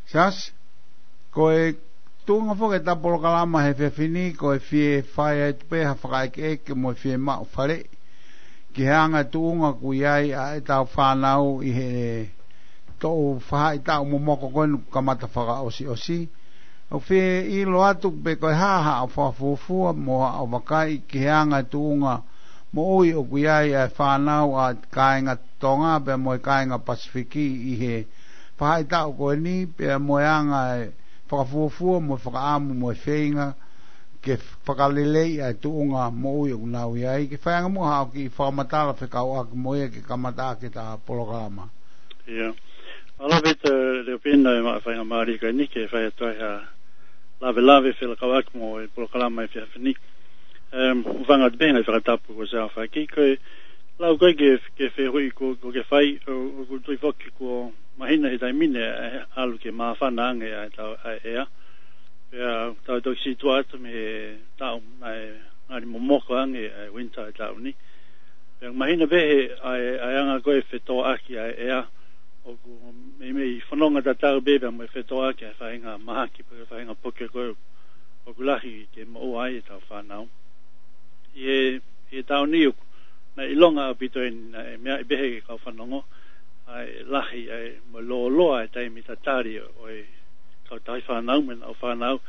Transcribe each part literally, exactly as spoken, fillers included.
Siasi, ko e tuʻunga foki ʻetau polokalama he efiafi ni, ko e fie fai atu pē ha fakaʻekeʻeke mo e fiemaʻu faleʻi ki he anga e tuʻunga ʻoku ʻi ai ʻa ʻetau fānau ʻi he toʻu faʻahitaʻu momoko ko eni kuo kamata fakaʻosiʻosi. ʻOku fie ʻilo atu pe ko e hā haʻo fakafuofua mo haʻo vakai ki he anga e tuʻunga moʻui ʻoku ʻi ai ʻa e fānau ʻa e kāinga Tonga pea mo e kāinga Pasifiki ʻi he faʻahitaʻu ko eni, pea mo e anga e fakafuofua mo e fakaʻamu mo e feinga ke fakaleleiʻi ʻa e tuʻunga moʻui ʻoku nau ʻi ai. Ke fai ange muʻa haʻo kiʻi fakamatala fekauʻaki mo ia ke kamata ʻaki ʻeta polokalama. ʻIo. Mālō ʻaupito Leopino e maʻu faingamālie ko eni ke fai atu ai ha lavelave felakauʻaki mo e polokalama he efiafi ni. Em, hūfanga atu pē he ngaahi fakatapu kuo ʻosi aofaki. Ko e lau ko ē ki he, ki he fehuʻi ko, ko ē ke fai, ʻo, ʻoku ou tui foki kuo mahino he taimi ni ʻa e ʻalu ke māfana ange ʻa e tau, ʻa e ʻea. Pea tau toki situʻa atu mei he taʻu naʻe ngali momoko ange ʻa e winter ʻo e taʻu ni. Pea mahino pē he ʻa e, ʻa e anga ko ē fetōʻaki ʻa e ʻea. ʻOku meimei fononga tatau pē pea mo e fetōʻaki ʻa e faʻahinga mahaki pe ko e faʻahinga puke ko ē ʻoku lahi ke moʻua ai ʻetau fānau. ʻI he, ʻi he taʻu ni ʻoku, naʻe ʻilonga ʻaupito eni, naʻe meaʻi pē he kau fanongo, ʻa e lahi, ʻa e mo e lōloa e taimi tatali ʻo e kau tauhi fānau mo ʻenau fānau,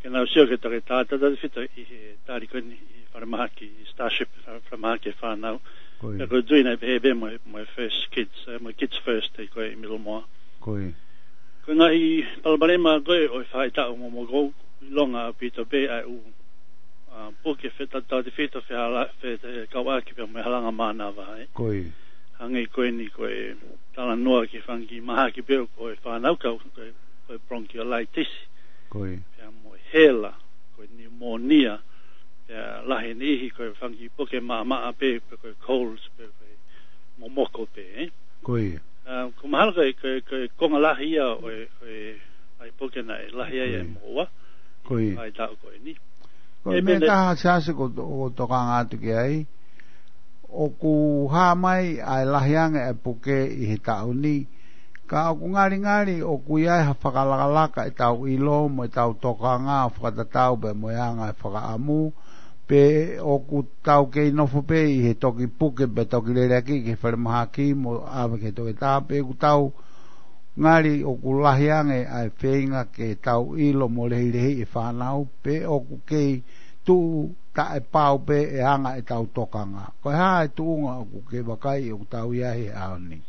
ke nau sio ki he toketā, tautautefito ʻi he tali ko eni ʻi he falemahaki, ʻi Starship, fa-, falemahaki e fānau. Ko ia. Pea ʻoku ou tui naʻe pehē pē mo e, mo e First Kids, eh, mo e Kids First, ʻi ko ē ʻi Middlemore. Ko ia. Ko e ngaahi palopalema ko ē ʻo e faʻahitaʻu momoko, ʻilonga ʻaupito pē ʻa e ʻū, ʻa, puke fetautautefito fehala-, fekauʻaki pea mo e halanga mānava, ē. Ko ia. Hangē ko eni ko e talanoa ki he fanga kiʻi mahaki pē ʻo e fānau kau, ko e, ko e bronchiolitis. Ko ia. Pea mo e hela, ko e pneumonia, pea lahi e niʻihi ko e fanga kiʻi puke maʻamaʻa pē, pe ko e colds, pe ko e momoko pē, ē. Ko ia. ʻA, ʻoku mahalo ko e, ko e, ko e konga lahi ia ʻo e, ʻo e, ʻa e puke naʻe lahi ai e moʻua. Ko ia. ʻA e taʻu ko eni. Ko e meʻa pehē taha Siasi ʻoku to-, ʻoku tokanga atu ki ai. ʻOku hā mai ʻa e lahi ange ʻa e puke ʻi he taʻu ni. Ka ʻoku ngalingali ʻoku ʻi ai ha fakalakalaka ʻetau ʻilo mo ʻetau tokanga ʻo fakatatau pea mo e anga e fakaʻamu. Pe ʻoku tau kei nofo pē ʻi he toki puke pea toki lele ʻaki ki he falemahaki mo ʻave ki he toketā, pe ʻoku tau ngali ʻoku lahi ange ʻa e feinga ke tau ʻilo mo lehilehiʻi e fānau, pe ʻoku kei tuʻu taʻepau pē e anga ʻetau tokanga. Ko e hā e tuʻunga ʻoku ke vakai ʻoku tau ʻi ai he ʻaho ni?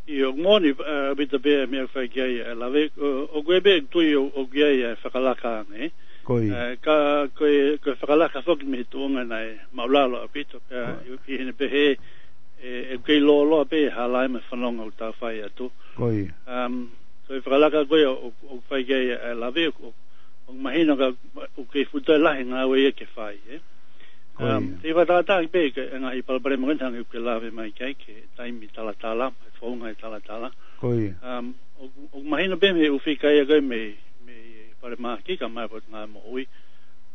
ʻIo, ʻoku moʻoni, ʻa, ʻaupito pē e meʻa ʻoku fai ki ai e lave, ʻo, ʻoku ʻi ai pē ʻeku tui ʻo, ʻoku ʻi ai e fakalaka ange. Ko ia. ʻA, ka, ko e, ko e fakalaka foki mei he tuʻunga naʻe māʻulalo ʻaupito, pea ʻi, ʻi heʻene pehē, ʻe, ʻe kei lōloa pē e hala mo e fononga ʻoku tau fai atu. Ko ia. Um, ko e fakalaka ko ē ʻo, ʻo, ʻoku fai ki ai e lave, ʻo, ʻo mahino ka, ʻoku kei fuʻu toe lahi e ngāue ia ke fai, ē. Ko ia. Um, te u fakatātā pē ki he ngaahi palopalema ko eni hangē ʻoku ke lave mai ki ai ki he taimi talatala, mo e founga e talatala. Ko ia. Um, ʻoku, ʻoku mahino pē mei he ʻū fika ia ko ē mei, mei falemahaki kae ʻumaʻā e Potungāue Moʻui.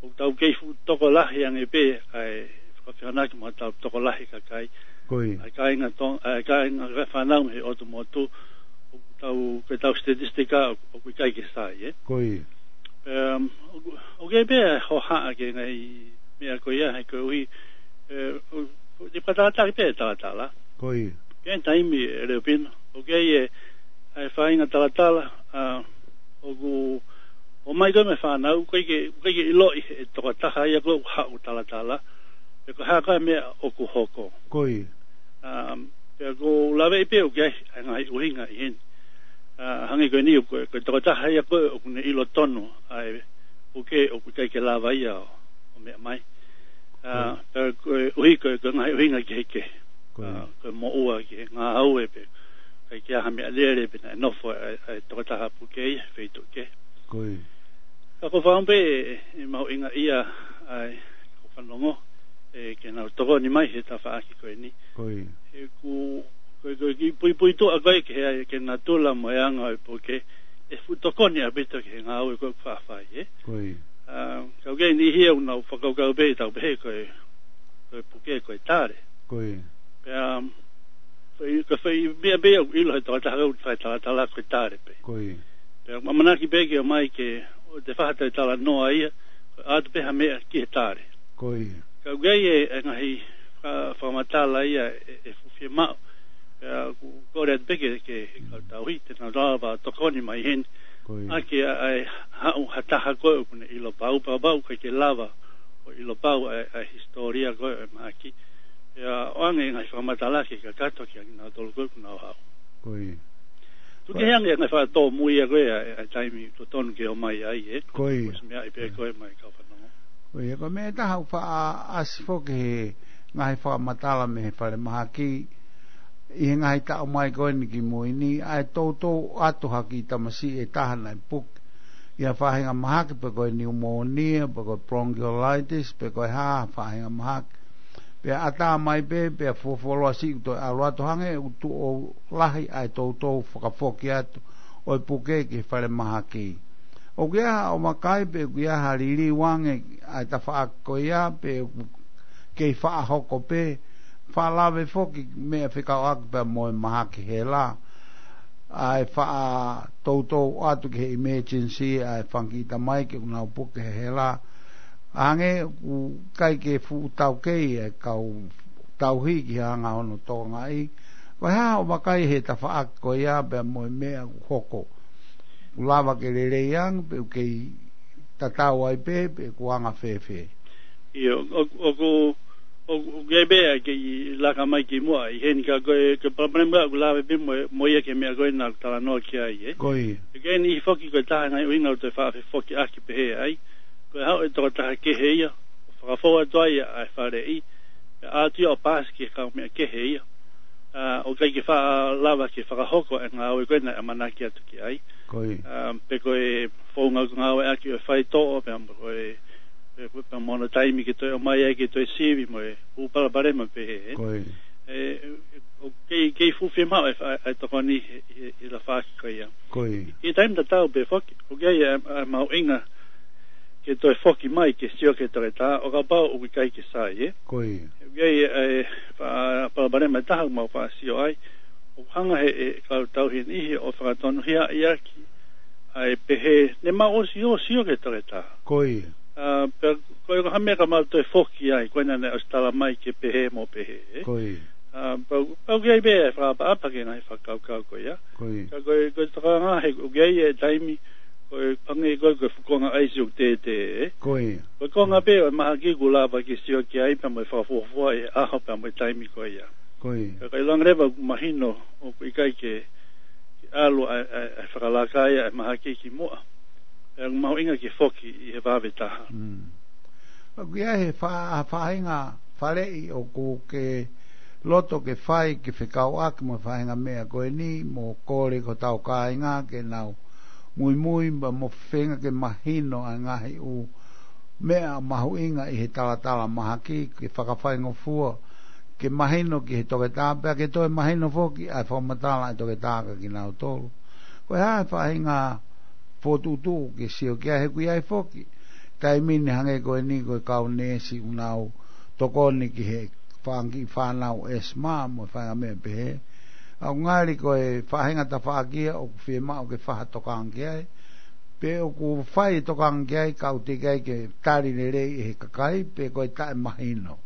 ʻOku tau kei fuʻu tokolahi ange pē ʻa e fakafehoanaki mo hotau tokolahi kakai. Ko ia. ʻA e kāinga Tong-, ʻa e kāinga fānau mei he ʻotu motu. ʻOku tau, ko ʻetau statistika ʻoku, ʻoku ʻikai ke sai, ē. Ko ia. Um, ʻoku, ʻoku ʻi ai pē e hohaʻa ki he ngaahi meʻa ko ia, he koeʻuhi, ē, ʻo, ʻo, te u fakatātā pē e talatala. Ko ia. Ki he taimi, ē, Leopino, ʻoku ʻi ai e, ʻa e faʻahinga talatala, ʻa, ʻoku, ʻomai ko ē mei he fānau, ʻoku ʻikai ke, ʻoku ʻikai ke ʻiloʻi ʻe he tokotaha ia ko ē ʻoku haʻu ʻo talatala, pe ko e hā koā e meʻa ʻoku hoko. Ko ia. Um, pea ʻoku ou laveʻi pē ʻoku ʻi ai e ngaahi ʻuhinga ʻi heni. ʻA, hangē ko eni ʻoku, ko e tokotaha ia ko ē ʻoku ne ʻilo tonu ʻa e puke ʻoku ʻikai ke lava ia ʻo, ʻo meʻa mai. ʻA, pea koeʻuhi ko e, ko e ngaahi ʻuhinga kehekehe. Ko ia. ʻA, ko e moʻua ki he ngāue pe ʻikai ke ʻi ai ha meʻalele pe naʻe nofo ʻa e, ʻa e tokotaha puke ia he feituʻu kehe. Ko ia. Ka ʻoku ou fakaʻamu pē ʻe, ʻe mahuʻingaʻia ai, kau fanongo, ē, ke nau tokoni mai he tafaʻaki ko eni. Ko ia. He ʻoku, ko e, ko e kiʻi puipuituʻa ko ē ki he, ki he natula mo e anga ʻo e puke, ʻe fuʻu tokoni ʻaupito ki he ngāue ko ē ʻoku faʻa fai, ē? Ko ia. ʻA, ka ʻoku ʻi ai e niʻihi ia ʻoku nau fakakaukau pē, tau pehē ko e, ko e puke ko e tale. Ko ia. Pea, um, fai, ka fai, meʻa pē ʻoku ʻilo he tokotaha ʻoku fai talatala ko e tale pē. Ko ia. Pea ʻamanaki pē ke ʻomai ke ʻoua te faʻa toe talanoa ia, ko e ʻoatu pē ha meʻa ki he tali. Ko ia. Ka ʻoku ʻi ai e, e ngaahi fa-, fakamatala ia ʻe, ʻe fuʻu fiemaʻu. Pea ʻoku kole atu pē ke, ke, ke kau tauhi, te nau lava tokoni mai heni. Ko ia. ʻA ke ʻa, ʻa e haʻu ha taha ko ē ʻoku ne ʻilo pau, pea pau ʻikai ke lava ʻo ʻilo pau ʻa e, ʻa e hisitōlia ko ē ʻo e mahaki. Pea ʻoange ngaahi fakamatala ke kakato kia kinautolu ko ē ʻoku nau haʻu. Ko ia. Tuku kehe ange ngaahi fakatōmui ʻa ko ē ʻa e, ʻa e taimi totonu ke ʻomai ai, ē? Ko ia. Ko e meʻa ʻi pē ko ē mai kau fanongo. Ko ia, ko e meʻa ʻe taha ʻoku faʻa ʻasi foki he ngaahi fakamatala mei he falemahaki ʻi he ngaahi taʻu mai ko eni ki mui ni, ʻa e toutou ʻoatu ha kiʻi tamasiʻi ʻe taha naʻe puke ʻi ha faʻahinga mahaki pe ko e niumōnia, pe ko e bronchiolitis, pe ko e hā ha faʻahinga mahaki. Pea ʻatā mai pē, pea fuofuoloa siʻi ʻoku toe ʻalu atu hangē ʻoku tuʻo lahi ʻa e toutou fakafoki atu ʻo e puke ki he falemahaki. ʻOku ʻi ai ha ʻomai pe ʻoku ʻi ai ha liliu ange ʻa e tafaʻaki ko ia, pe ʻoku kei faʻa hoko pē, faʻa lave foki meʻa fekauʻaki pea mo e mahaki hela. ʻA e faʻa toutou ʻoatu ki he emergency, ʻa e fanga kiʻi tamaiki ʻoku nau puke he hela. Hangē ʻoku ʻikai ke fuʻu taukei e kau tauhi ki he anga hono tokangaʻi. Ko e hā hoʻo vakai he tafaʻaki ko ia pea mo e meʻa ʻoku hoko? ʻOku lava ke lelei ange, pe ʻoku kei tatau ai pē, pe ʻoku anga fēfē? ʻIo, ʻo, ʻoku, ʻoku, ʻoku ʻi ai pē ʻa e kei laka mai ki muʻa ʻi heni ka ko e, ko e palopalema ʻoku lave pē mo, mo ia ki he meʻa ko ē naʻa ku talanoa ki ai, ē? Ko ia. ʻOku ʻi ai e niʻihi foki ko e taha e ngaahi ʻuhinga ʻoku te faʻa fefokiʻaki pehē ai. Ko e haʻu e tokotaha kehe ia, ʻo fakafou atu ai ʻa e faleʻi, pea ʻoatu ia ʻo paasi ki he kaumeʻa kehe ia. ʻA, ʻoku ʻikai ke faʻa lava ke fakahoko e ngāue ko ē naʻe ʻamanaki atu ki ai. Ko ia. ʻA, pe ko e founga ʻoku ngāueʻaki ʻo e faitoʻo, pea mo ko e, pe, pe, pea mo hono taimi ke toe ʻomai ai ke toe sivi mo e ʻū palopalema pehē, ē. Ko ia. ʻE, ʻe, ʻoku kei, kei fuʻu fiemaʻu e fa-, e tokoni he, he, he tafaʻaki ko ia. Ko ia. ʻI he taimi tatau pē foki, ʻoku ʻi ai e, e mahuʻinga ke toe foki mai ke sio ki he toketā, ʻo kapau ʻoku ʻikai ke sai, ē? Ko ia. ʻOku ʻi ai e, e, fa-, palopalema ʻe taha ʻoku mau faʻa sio ai, ʻoku hanga he, e, kau tauhi e niʻihi ʻo fakatonuhiaʻi ʻaki ʻa e pehē, ne mau ʻosi ʻo sio ki he toketā. Ko ia. ʻA, pea, ko e ko ha meʻa ka mau toe foki ai, ko ena naʻe ʻosi tala mai ke pehē mo pehē, ē? Ko ia. ʻA, pau, pau ʻoku ʻi ai pē e fakaʻapaʻapa ki he ngaahi fakakaukau ko ia. Ko ia. Ka ko e, ko e tokanga he, ʻoku ʻi ai e taimi, ko e hangē ko e, ko e fuʻu konga ʻaisi ʻoku tētē, ē? Ko ia. Ko e konga pē ʻo e mahaki ʻoku lava ke sio ki ai pea mo e fakafuofua e ʻaho pea mo e taimi ko ia. Ko ia. Ka, ka ʻilonga leva ʻoku mahino ʻoku ʻikai ke, ke ʻalu ʻa, ʻa, ʻa e fakalaka ia ʻa e mahaki ki muʻa. Pea ʻoku mahuʻinga ke foki ʻi he vave taha. Mm. ʻOku ʻi ai he fa-, faʻahinga faleʻi ʻoku ke loto ke fai ke fekauʻaki mo e faʻahinga meʻa ko eni, mo kole ki hotau kāinga ke nau muimui, pea mo feinga ke mahino ʻa e ngaahi ʻū meʻa mahuʻinga ʻi he talatala mahaki, ke fakafaingofua, ke mahino ki he toketā, pea ke toe mahino foki ʻa e fakamatala ʻa e toketā kia kinautolu. Ko e hā e faʻahinga fokotuʻutuʻu ke sio ki ai he ʻoku ʻi ai foki taimi ni hangē ko eni ko e kau neesi ʻoku nau tokoni ki he fanga kiʻi fānau ʻesima mo e faʻahinga meʻa pehē. ʻOku ngali ko e faʻahinga tafaʻaki ia ʻoku fiemaʻu ke fai ha tokanga ki ai. Pe ʻoku fai e tokanga ki ai ka ʻoku teʻeki ai ke tali lelei ʻe he kakai, pe ko e taʻemahino.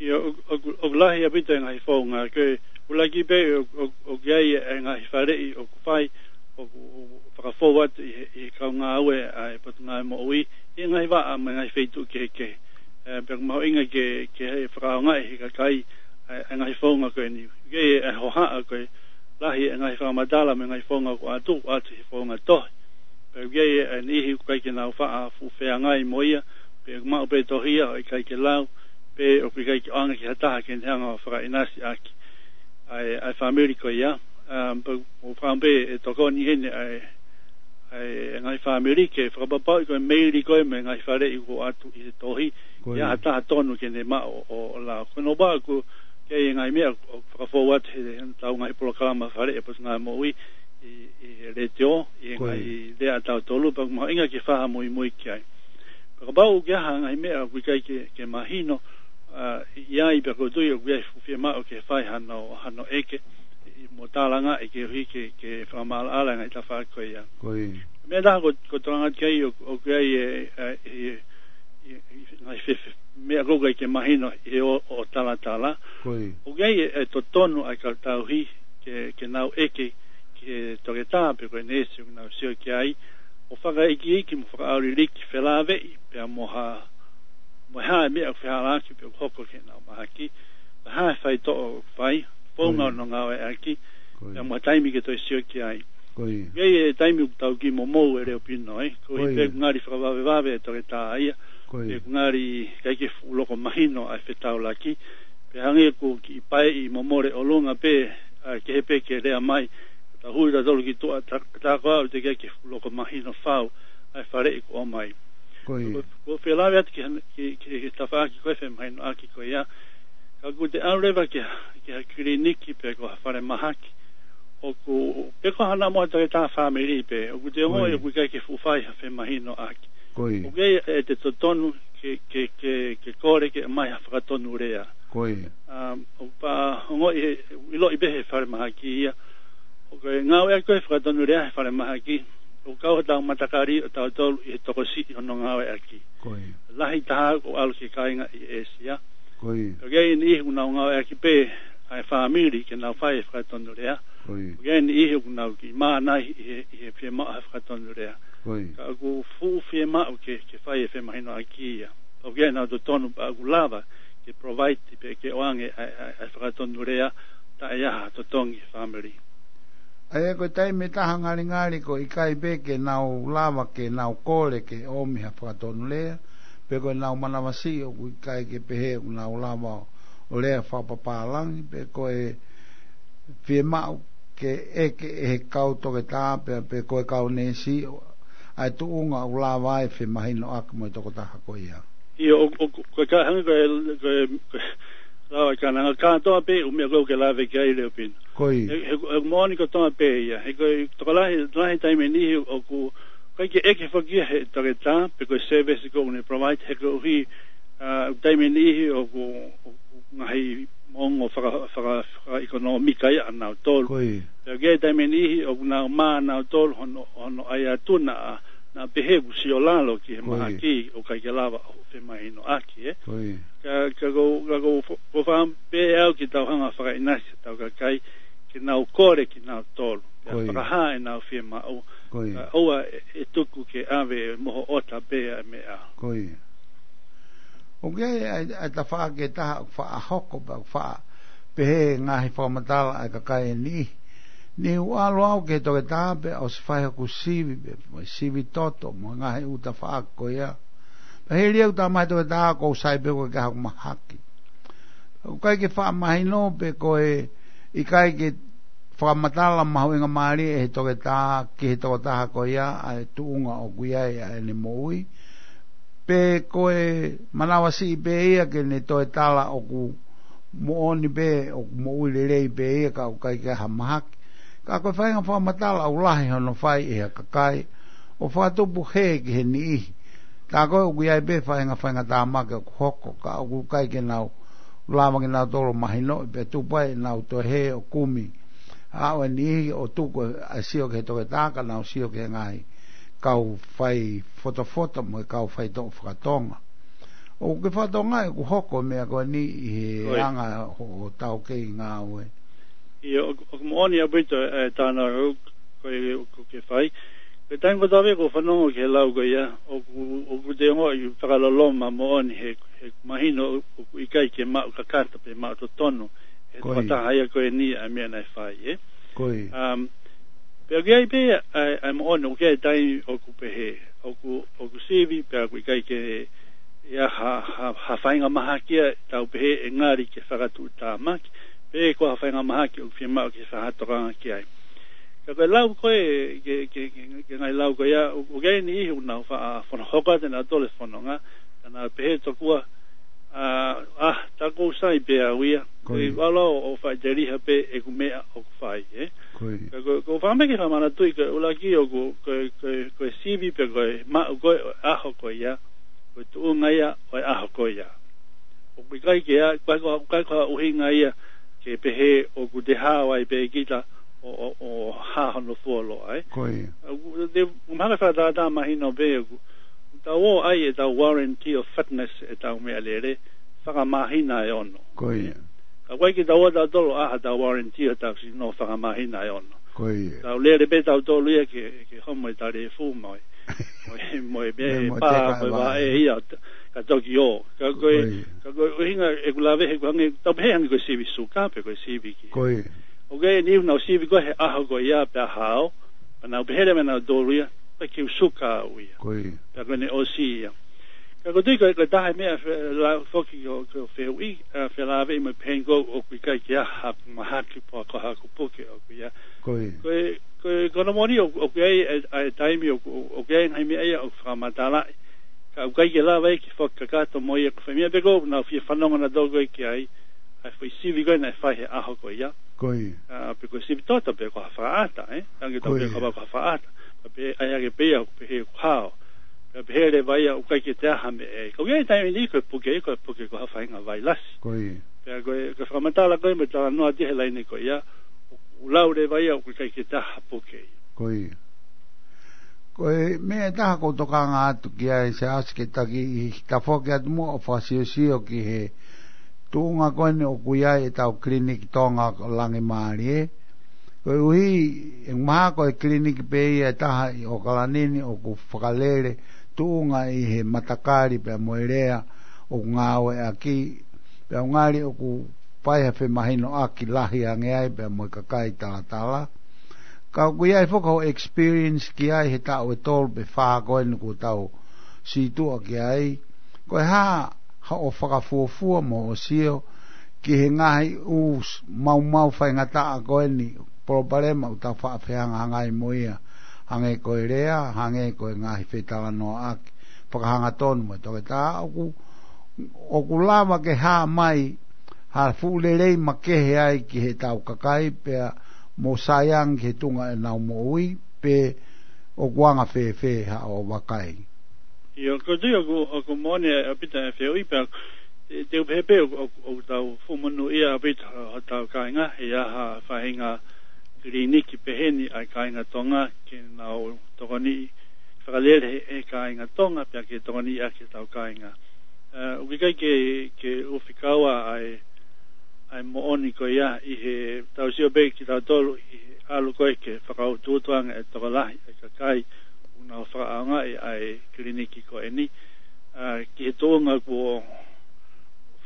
ʻIo, ʻoku, ʻoku, ʻoku lahi ʻaupito e ngaahi founga, ko e ʻuluaki pē ʻoku, ʻoku, ʻoku ʻi ai e ngaahi faleʻi ʻoku fai, ʻoku, ʻoku fakafou atu ʻi he, ʻi he kau ngāue ʻa e Potungāue Moʻui, ʻi he ngaahi vaʻa mo e ngaahi feituʻu kehekehe. ʻE, pea ʻoku mahuʻinga ke, ke fakaʻaongaʻi ʻe he kakai ʻa e, ʻa e ngaahi founga ko eni. Ke ʻe hohaʻa ko e lahi e ngaahi fakamatala mo e ngaahi founga ʻoku ʻoatu, ʻoatu he founga tohi. Pea ʻoku ʻi ai e niʻihi ʻoku ʻikai ke nau faʻa fuʻu feangai mo ia, pe ʻoku maʻu pē tohi ia ʻo ʻikai ke lau, pe ʻoku ʻikai ke ʻoange ki ha taha ke ne hanga ʻo fakaʻinasi ʻaki ʻa e, ʻa e fāmili ko ia. Um, pea ʻoku ou fakaʻamu pē ʻe tokoni heni ʻa e, ʻa e ngaahi fāmili ke fakapapauʻi ko e meili ko ē mo e ngaahi faleʻi ʻoku ʻoatu ʻi he tohi, Ko ia. ʻi ai ha taha tonu ke ne maʻu ʻo, ʻo lau. Ko hono ʻuhinga ʻoku ʻi ai e ngaahi meʻa ʻoku fakafou atu he, he ʻetau ngaahi polokalama faleʻi ʻa e Potungāue Moʻui ʻi, ʻi he letiō, ʻi he Ko ia. ngaahi lea ʻa tautolu, pea ʻoku mahuʻinga ke fai ha muimui ki ai. Pea kapau ʻoku ʻi ai ha ngaahi meʻa ʻoku ʻikai ke, ke mahino, ʻa, ʻi ai pea ʻoku ou tui ʻoku ʻi ai fuʻu fiemaʻu ke fai hano, hano ʻeke, mo tālangaʻi ke ʻuhi ke, ke fakamaʻalaʻala e ngaahi tafaʻaki ko ia. Ko ia. Meʻa ʻe taha ko, ko e tokanga ki ai ʻoku, ʻoku ʻi ai e, e, e, e, e ngaahi fe, fe, meʻa ʻoku ʻikai ke mahino ʻi he ʻo, ʻo talatala. Ko ia. ʻOku ʻi ai e, e totonu ʻa e kau tauhi ke, ke nau ʻeke ki he toketā pe ko e neesi ʻoku nau sio ki ai, ʻo fakaikiiki mo fakaʻauliliki felāveʻi pea mo ha, mo e hā e meʻa ʻoku fehālaaki pe ʻoku hoko ki heʻenau mahaki, pe hā e faitoʻo ʻoku fai, founga ʻo ʻenau ngāueʻaki, pea mo e taimi ke toe sio ki ai. Ko ia. ʻOku ʻi ai e taimi ʻoku tau kiʻi momou e leo pino, ē. Ko ia. Pe ʻoku ngali fakavavevave e toketā ia. Ko ia. Pe ʻoku ngali ʻikai ke fuʻu loko mahino ʻa e fetaulaki. Pe hangē ʻoku kiʻi paeʻi mo mole ʻolunga pē, ʻa, kehe pē ke lea mai. Tau hui tautolu ki tuʻa, tā, tā ko au teʻeki ke fuʻu loko mahino fau ʻa e faleʻi kuo ʻomai. Ko ia. Ko, ko e felāveʻi atu ki he, ki, ki he tafaʻaki ko e femahinoʻaki ko ia. Ka ʻoku te ʻalu leva ki ha, ki ha kiliniki pe ko ha falemahaki. ʻOku, pe ko hano mo ha toketā fāmili pē. ʻOku te ongoʻi ʻoku ʻikai ke fuʻu fai ha femahinoʻaki. Ko ia. ʻOku ʻi ai e totonu ke, ke, ke, ke kole ke ʻomai ha fakatonulea. Ko ia. Um, ʻoku pā ongoʻi he, ʻiloʻi pē he falemahaki ia. ʻOku ngāueʻaki ko e fakatonulea he falemahaki. ʻOku kau hotau matakali ʻo tautolu ʻi he tokosiʻi hono ngāueʻaki. Ko ia. Lahi taha ʻoku ʻalu ki he kāinga ʻi ʻĒsia. Ko ia. ʻOku ʻi ai e niʻihi ʻoku nau ngāueʻaki pē ʻa e fāmili ke nau fai e fakatonulea. Ko ia. ʻOku ʻi ai e niʻihi ʻoku nau kiʻi mānai ʻi he, ʻi he fiemaʻu ha fakatonulea. Ko ia. Ka ʻoku fuʻu fiemaʻu ke, ke fai e femahinoʻaki ia. ʻOku ʻi ai ʻenau totonu pea ʻoku lava ke provide pe ke ʻoange ʻa e, ʻa e, ʻa e fakatonulea taʻe ʻi ai ha totongi he fāmili. ʻA ia ko e taimi ʻe taha ngalingali ʻoku ʻikai pē ke nau lava ke nau kole ke ʻomi ha fakatonulea, pe ko ʻenau manavasiʻi ʻoku ʻikai ke pehē ʻoku nau lava ʻo lea fakapapālangi, pe ko e fiemaʻu ke ʻeke ʻe he kau toketā pe, pe ko e kau neesi ʻa e tuʻunga ʻoku lava ai e femahinoʻaki mo e tokotaha ko ia. ʻIo, ʻo, ʻo, ko e ka, hangē ko e, ko e, ko e, lava ka nanga kātoa pē ʻū meʻa ko ē ʻoku ke lave ki ai leo pino. Ko ia. He, he, he moʻoni kotoa pē ia. He ko e tokolahi, lahi taimi niʻihi ʻoku ʻikai ke ʻeke foki ia he toketā, pe ko e service ko ē ʻoku ne provide he koeʻuhi, ʻa, taimi niʻihi ʻoku, ʻoku ngaahi ongo faka, faka, fakaʻekonōmika ia ʻanautolu. Ko ia. Pea ʻoku ʻi ai e taimi niʻihi ʻoku nau mā ʻanautolu hono, hono ʻai atu naʻa, naʻa pehē ʻoku sio lalo ki he mahaki ʻoku ʻikai ke lava ʻo femahinoʻaki, ē. Ko ia. Ka, ka ko, ka ko, ko fā pē au ke tau hanga fakaʻinasi ʻetau kakai, ke nau kole kinautolu. Pea fakahā ʻenau fiemaʻu. Ko ia. Ka ʻoua ʻe, ʻe tuku ke ʻave moho ʻota pē ʻa e meʻa. Ko ia. ʻOku ʻi ai, ʻa e, ʻa e tafaʻaki ʻe taha ʻoku faʻa hoko pea ʻoku faʻa pehē ngaahi fakamatala ʻa e kakai ʻe niʻihi. Niʻihi ʻoku ʻalu au ki he toketā pea ʻosi fai hoku sivi pea mo e sivi toto mo e ngaahi ʻū tafaʻaki ko ia. Pea hili au tama he toketā ʻoku ou sai pē ʻoku ʻikai ke ʻi ai haku mahaki. ʻOku ʻikai ke faʻa mahino pe ko e ʻikai ke fakamatala mahuʻinga mālie ʻe he toketā ki he tokotaha ko ia ʻa e tuʻunga ʻoku ʻi ai ʻa ʻene moʻui. Pe ko e manavasiʻi pē ia ke ne toe tala ʻoku moʻoni pē, ʻoku moʻui lelei pē ia ka ʻoku ʻikai ke ʻi ai ha mahaki. Ka ko e faʻahinga fakamatala ʻoku lahi hono fai ʻe ha kakai ʻo fakatupu hē ki he niʻihi. Tā ko ē ʻoku ʻi ai pē faʻahinga faʻahinga tāmaki ʻoku hoko, ka ʻoku ʻikai ke nau lava kinautolu ʻo mahinoʻi pea tupu ai ʻenau toe hē ʻo kumi. ʻA ʻo e niʻihi ʻo tuku ʻa e sio ki he toketā ka nau sio ki he ngaahi kau fai fotofoto mo e kau faitoʻo fakatonga. ʻOku ke fakatokangaʻi ʻoku hoko e meʻa ko eni ʻi he anga hoʻo taukei ngāue? ʻIo, ʻoku, ʻoku moʻoni ʻaupito e tānaki ko ē ʻoku ke fai. Ko e taimi kotoa pē ʻoku ou fanongo ki he lau ko ia, ʻoku, ʻoku te ongoʻi fakaloloma moʻoni he, he mahino ʻoku ʻikai ke maʻu kakato pe maʻu totonu he tokotaha ia ko eni ʻa e meʻa naʻe fai, ē? Ko ia. Um, pea ʻoku ʻi ai pē ʻa e, ʻa e moʻoni, ʻoku ʻi ai e taimi ʻoku pehē, ʻoku, ʻoku sivi, pea ʻoku ʻikai ke ʻi ai ha, ha, ha faʻahinga mahaki ia ʻe tau pehē ʻe ngali ke fakatuʻutāmaki, pe ko ha faʻahinga mahaki ʻoku fiemaʻu ke fakatokanga ki ai. Ka ko e lau ko ē, ke, ke, ke, ke ngaahi lau ko ia, ʻoku, ʻoku ʻi ai e niʻihi ʻoku nau faʻa fono hoko atu ʻenautolu e fononga, ka nau pehē tokua, ʻa, ʻa, tā ʻoku ou sai pē au ia, ko ia. ʻOku ou ʻalu ʻo faʻiteliha pē ʻeku meʻa ʻoku fai, ē? Ko ia. Ka ko, ʻoku ou fakaʻamu ke fakamanatuʻi ko e ʻuluaki ʻoku, ko, ko, ko e sivi pe ko e maʻu ko ē ʻo e ʻaho ko ia, ko e tuʻunga ia ʻo e ʻaho ko ia. ʻOku ʻikai ke ʻa, ʻikai ko, ʻikai ko ha ʻuhinga ia, ke pehē ʻoku te hao ai pē kita ʻo, ʻo, ʻo hā hono fuoloa, ē. Ko ia. ʻOku te, ʻoku mahalo fakatātā mahino pē ʻoku, ʻoku tau ō ʻai ʻetau warranty of fitness ʻetau meʻalele, fakamāhina ʻe ono. Ko ia. Ka ʻoku ʻikai ke tau ō tautolu ʻai haʻatau warranty ʻo tau sino fakamāhina ʻe ono. Ko ia. Tau lele pē tautolu ia ke, ke homo e talefu mo e, mo e, mo e, mo e pā, teka mo e vaʻe ia, ka toki ō. Ka ko e, ko ia, ka ko e ʻuhinga ʻeku lave he ʻoku hangē, tau pehē hangē ko e sivi suka, pe ko e sivi ki. Ko ia. ʻOku ʻi ai e niʻihi ʻoku nau sivi ko ē he ʻaho ko ia pea hao, pea nau pehē leva ʻe nautolu ia, ʻikai ke u suka au ia. Ko ia. Pea ko ʻene ʻosi ia. Ka ʻoku ou tui ko e, ko e taha e meʻa fe-, la-, foki ʻoku, ʻoku ou fehuʻi, ʻa, felāveʻi mo e pehē ko ē ʻoku ʻikai ke ʻi ai haku mahaki pe ko haku puke ʻoku ʻi ai. Ko ia. Ko e, ko e, ko hono moʻoni ʻoku, ʻoku ʻi ai e, ʻa e taimi ʻoku, ʻoku ʻi ai e ngaahi meʻa ia ʻoku fakamatalaʻi. Ka ʻoku ʻikai ke lava ia ke fakakakato mo ia ko e fai meʻa pē ko ē ʻoku nau fie fanongo nautolu ko ē ki ai, ʻa e foʻi sivi ko ē naʻe fai he ʻaho ko ia. Ko ia. ʻA, pe ko e sivi toto pe ko ha fakaʻata, ē? Hangē tau pehē ko ha fakaʻata. Ka pehē ʻai hake pē ia ʻoku pehē ʻoku hao. Pea pehē leva ia ʻoku ʻikai ke toe ʻi ai ha meʻa. Ka ʻoku ʻi ai e taimi ʻe niʻihi ko e puke, ko e puke ko ha faʻahinga vailasi. Ko ia. Pea ko e, ko e fakamatala ko ē mo e talanoa atu he laine ko ia, ʻoku lau leva ia ʻoku ʻikai ke toe ʻi ai ha puke ia. Ko ia. Ko e meʻa ʻe taha ʻoku ou tokanga atu ki ai Siaosi ke taki ʻi he tafoki atu muʻa ʻo fakasiosio ki he tuʻunga ko eni ʻoku ʻi ai ʻetau kiliniki Tonga Langimālie. Koeʻuhi, ʻe mahalo ko e kiliniki pē ia ʻe taha ʻi ʻOkalani ni ʻoku fakalele tuʻunga ʻi he matakali pea mo e lea ʻoku ngāueʻaki, pea ʻoku ngali ʻoku fai ha femahinoʻaki lahi ange ai pea mo e kakai talatala. Ka ʻoku ʻi ai foki hoʻo experience ki ai he taʻu ʻe tolu pe fā ko eni kuo tau sītuʻa ki ai. Ko e hā haʻo fakafuofua mo hoʻo sio ki he ngaahi ʻū s-, maumau faingataʻa ko eni, palopalema ʻoku tau faʻa fehangahangai mo ia, hangē ko e lea, hangē ko e ngaahi fetalanoaʻaki fakahangatonu mo e toketā, ʻoku, ʻoku lava ke hā mai ha fuʻu lelei makehe ai ki heʻetau kakai pea mo saiangi ki he tuʻunga ʻenau moʻui, pe ʻoku anga fēfē haʻo vakai. ʻIo, ʻoku ou tui ʻoku, ʻoku moʻoni ʻaupito e fehuʻi pea, te, te u pehē pē ʻoku, ʻoku, ʻoku tau fakamonūʻia ʻaupito hotau kāinga, he ʻi ai ha faʻahinga kiliniki pehē ni ʻa e kāinga Tonga, ke nau tokoniʻi fakalele he, he kāinga Tonga, pea ke tokoniʻi ʻaki ʻetau kāinga. ʻA, ʻoku ʻikai ke, ke u fekau ʻa e, ʻa e moʻoni ko ia ʻi heʻetau sio pē kitautolu ʻi he ʻalu ko ē ke fakautuutu ange e tokolahi e kakai ʻoku nau fakaʻaongaʻi ʻa e kiliniki ko eni. ʻA, ki he tuʻunga kuo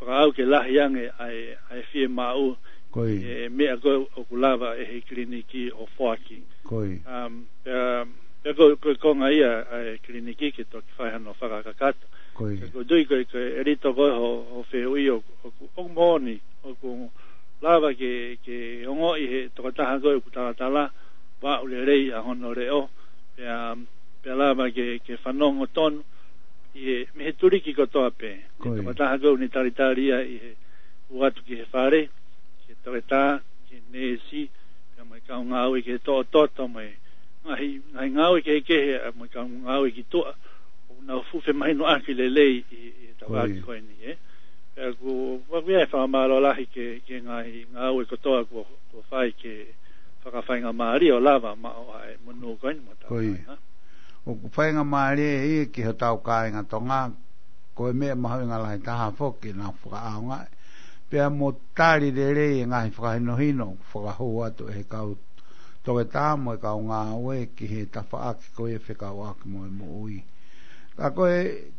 fakaʻau ke lahi ange ʻa e, ʻa e fiemaʻu, ko ia, e meʻa ko ē ʻoku lava ʻe he kiliniki ʻo foaki. Ko ia. Um, pea, pea ko, ko e konga ia ʻa e kiliniki ke toki fai hano fakakakato. Ko ia. Ka ʻoku ou tui ko e, ko e ʻelito ko ē hoʻo, hoʻo fehuʻi ʻoku, ʻoku, ʻoku moʻoni, ʻoku lava ke, ke ongoʻi he tokotaha ko ē ʻoku talatala, vaʻu lelei ʻa hono leʻo, pea, pea lava ke, ke fanongo tonu ʻi he, mei he tuliki kotoa pē. Ko ia. Tokotaha ko ē ʻoku ne talitali ia ʻi he ʻalu atu ki he fale, ki he toketā, ki he neesi, pea mo e kau ngāue ki he toʻotoʻo, mo e ngaahi, ngaahi ngāue kehekehe, ʻa, mo e kau ngāue ki tuʻa, ʻoku nau fuʻu femahinoʻaki lelei ʻi, ʻi he tafaʻaki, ko ia, ko eni, ē. Pea ʻoku, ʻoku ou fakamālō lahi ki he, ki he ngaahi ngāue kotoa kuo, kuo fai ke fakafaingamālie ʻo lava maʻu ʻa e monū ko eni mo ʻetau, ko ia, kāinga. ʻOku faingamālie ia ki hotau kāinga Tonga, ko e meʻa mahuʻinga lahi taha foki ke nau fakaʻaongaʻi. Pea mo tali lelei e ngaahi fakahinohino ʻoku fakahū atu ʻe he kau toketā mo e kau ngāue ki he tafaʻaki ko ia fekauʻaki mo e moʻui. Ka ko e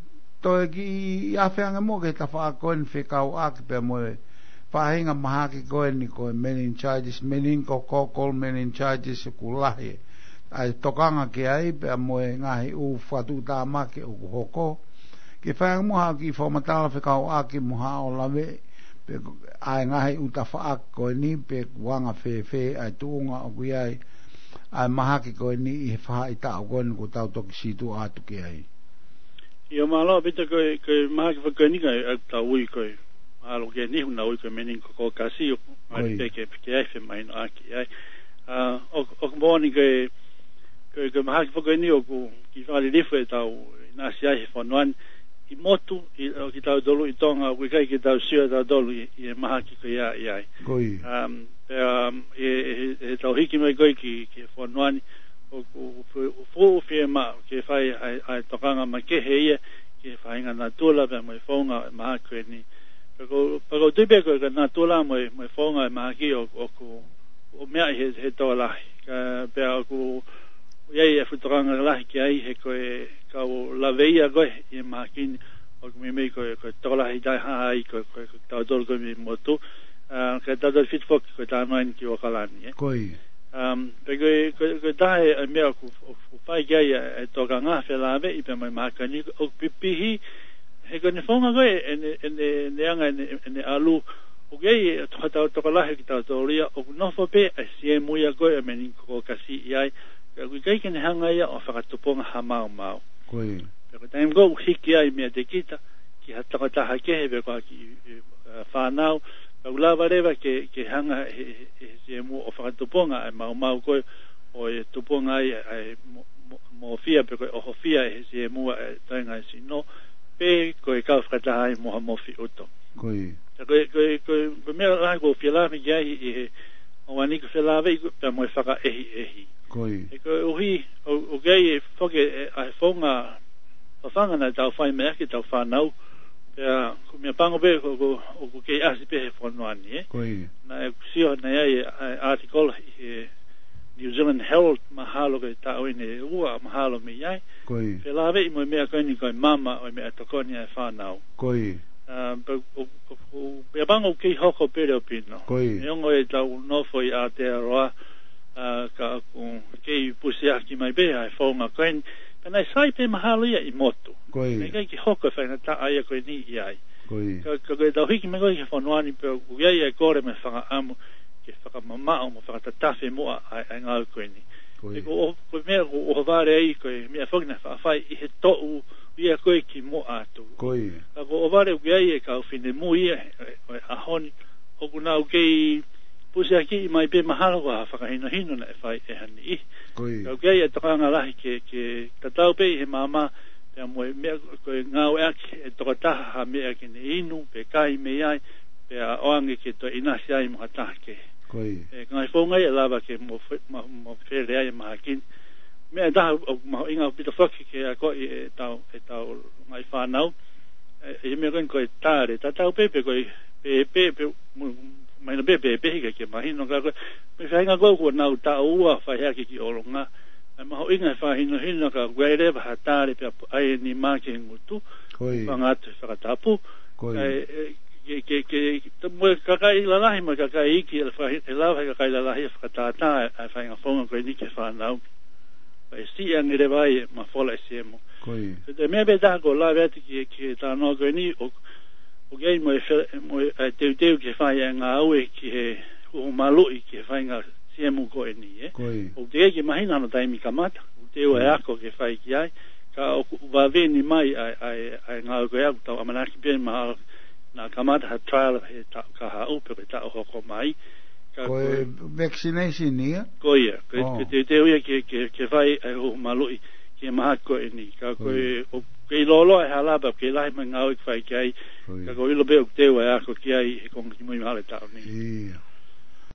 toe kiʻi afe ange muʻa ki he tafaʻaki ko eni fekauʻaki pea mo e faʻahinga mahaki ko eni ko e meningitis, meningococcal meningitis ʻoku lahi ʻa e tokanga ki ai pea mo e ngaahi ʻū fakatuʻutāmaki ʻoku hoko. Ke fai ange muʻa haʻo kiʻi fakamatala fekauʻaki mo haʻo lave, pe ko e ngaahi ʻū tafaʻaki ko eni, pe ʻoku anga fēfē ʻa e tuʻunga ʻoku ʻi ai ʻa e mahaki ko eni ʻi he faʻahitaʻu ko eni kuo tau toki sītuʻa atu ki ai. ʻIo, mālō ʻaupito, ko e, ko e mahaki foki ko eni ʻoku tau ui ko e, mahalo ko e niʻihi ʻoku nau ui ko e meningococcal, ʻoku, ʻoi, ngali pē ke, ke ʻi ai e femahinoʻaki ai. ʻA, ʻoku, ʻoku moʻoni ko e, ko e, ko e mahaki foki ko eni ʻoku kiʻi fakalilifu ʻetau ʻinasi ai he fonua ni. ʻi motu, ʻi, ʻo kitautolu ʻi Tonga, ʻoku ʻikai ke tau sio tautolu ʻi, ʻi he mahaki ko ia ʻi ai. Ko ia. Um, pea, um, ʻe, ʻe, ʻe tau hiki mai ko ē ki, ki he fonua ni, ʻoku, ʻoku, ʻoku, ʻoku fiemaʻu ke fai ʻa e, ʻa e tokanga makehe ia, ki he faʻahinga natula pea mo e founga ʻo e mahaki ko eni. Pea ʻoku, pea ʻoku ou tui pē ko e natula mo e, mo e founga ʻo e mahaki ʻoku, ʻoku, ʻoku meaʻi he, he tokolahi. Ka, pea ʻoku, ʻoku ʻi ai e fuʻu tokanga lahi ki ai he ko e kau laveʻi ia ko ē ʻi he mahaki ni ʻoku meimei ko e, ko e tokolahi taha ai ko e, ko e, ko e tautolu ko ē mei motu. Ah, ka tautolu ʻe fitu foki ko e talanoa eni ki ʻAokalani, ē. Ko ia. Um, pea ko e, ko e, ko e taha e meʻa ʻoku, ʻoku, ʻoku fai ki ai e, e tokanga felāveʻi pea mo e mahaki ni ʻoku pipihi, he ko ʻene founga ko ē, ʻene, ʻene, ʻene anga, ʻene, ʻene ʻalu, ʻoku ʻi ai e to-, hotau tokolahi kitautolu ia, ʻoku nofo pē ʻa e siemu ia ko ē ʻo e Meningococci ʻi ai, pea ʻoku ʻikai ke ne hanga ia ʻo fakatupunga ha maumau. Ko ia. Pea ko e taimi ko ē ʻoku hiki ai meiate kita, ki ha tokotaha kehe pe ko ha kiʻi, e, e, fānau, pea ʻoku lava leva ke, ke hanga he, he, he siemu ʻo fakatupunga e maumau ko ē, ʻo e tupunga ai, ʻa e mo-, mo-, mōfia pe ko e ʻohofia ʻe he siemu ʻa e toenga e sino, pe ko e kau fakataha ai mo ha mofi ʻuto. Ko ia. Ka ko e, ko e, ko e, ko e meʻa lahi ʻoku ou fie lave ki ai ʻi he ʻaho ni ko e felāveʻi ko ē pea mo e fakaʻehiʻehi. Ko ia. He koeʻuhi, ʻo, ʻoku ʻi ai e foki e, ʻa e founga, fafanga naʻa tau fai meʻa ki heʻetau fānau, pea ʻoku ou meʻapango pē ʻoku, ʻoku, ʻoku kei ʻasi pē he fonua ni, ē? Ko ia. Naʻe sio, naʻe ʻi ai e, e article ʻi he New Zealand Herald mahalo ko e taʻu eni ʻe ua mahalo mei ai. Ko ia. Felāveʻi mo e meʻa ko eni ko e mama ʻo e meʻatokoni ʻa e fānau. Ko ia. Ah, pea ʻoku, ʻoku, ʻoku, meʻapango ʻoku kei hoko pē leo pino. Ko ia. Neongo ʻetau nofo ʻi Aotearoa, ah, ka ʻoku kei pusiaki mai pē ʻa e founga ko eni. Pea naʻe sai pē mahalo ia ʻi motu. Ko ia. Naʻe ʻikai ke hoko e faingataʻa ia ko eni ʻi ai. Ko ia. Ka, ka ko ʻetau hiki mai ko ē ki he fonua ni pea ʻoku ʻi ai e kole mo e fakaʻamu ke fakamamaʻo mo fakatatafe muʻa ʻa e, ʻa e ngāue ko eni. Ko ia. He ko ʻo, ko e meʻa ʻoku ʻohovale ai ko e meʻa foki naʻe faʻa fai ʻi he toʻu ia ko ē kimuʻa atu. Ko ia. Ka ʻoku ʻohovale ʻoku ʻi ai e kau finemui ia ʻo e, ʻo e ʻaho ni, ʻoku nau kei pusiakiʻi mai pē mahalo ko ha fakahinohino naʻe fai ʻe ha niʻihi. Ko ia. Ka ʻoku ʻi ai e tokanga lahi ke, ke tatau pē ʻi he maama, pea mo e meʻa ko e ngāueʻaki ʻe he tokotaha ha meʻa ke ne inu, pe kai mei ai, pea ʻoange ke toe ʻinasi ai mo ha taha kehe. Ko ia. ʻE, ngaahi founga ia ʻe lava ke mo fe-, ma-, mo fele ai e mahaki ni. Meʻa ʻe taha ʻoku mahuʻinga ʻaupito foki ke akoʻi ʻe tau, ʻe tau ngaahi fānau. ʻE, ʻi he meʻa ko eni ko e tale. Tatau pē pe ko e, pe, pe, pe, mo-, mahino pē, pe, pe, hika ke mahino ka ko e, mo e faʻahinga ko ē kuo nau taʻu ua fai hake ki ʻolunga. ʻE mahuʻinga e fakahinohino ka ʻoku ʻi ai leva ha tale pea ʻai e nima ki he ngutu. Ko ia. Fanga atu he fakatapu. Ko ia. ʻE, ʻe, ke, ke, ke, ke, mo e kakai lalahi, mo e kakai iiki, ʻe lava he kakai lalahi ʻo fakatātā ʻa e faʻahinga founga ko eni ki he fānau. Pea ʻe siʻi ange leva ai e mafola ʻa e siemu. Ko ia. Ko e meʻa pē taha ʻoku ou lave atu ki, ki he talanoa ko eni, ʻo, ʻoku ʻi ai mo e fe-, mo e, ʻa e teuteu ke fai e ngāue ki he huhu maluʻi ki he faʻahinga siemu ko eni, ē? Ko ia. ʻOku teʻeki ke mahino hono taimi kamata, ʻoku teu ʻa e ako ke fai ki ai, ka ʻoku vave ni mai ʻa e, ʻa e, ʻa e ngāue ko ia ʻoku tau ʻamanaki pē mahalo naʻa kamata ha trial he taʻu kahaʻu pe ko e taʻu hoko mai. Ka ko e ko e vaccination ia? Ko ia, ko e, ʻo, ko e teuteu ia ke, ke, ke fai e huhu maluʻi ki he mahaki ko eni. Ka ko ia. Ko e, ʻoku kei lōloa e hala pea ʻoku kei lahi mai e ngāue ke fai ki ai. Ko ia. Ka ʻoku ou ʻilo pē ʻoku teu ʻa e ako ki ai he konga kimui mahalo e taʻu ni. Ia.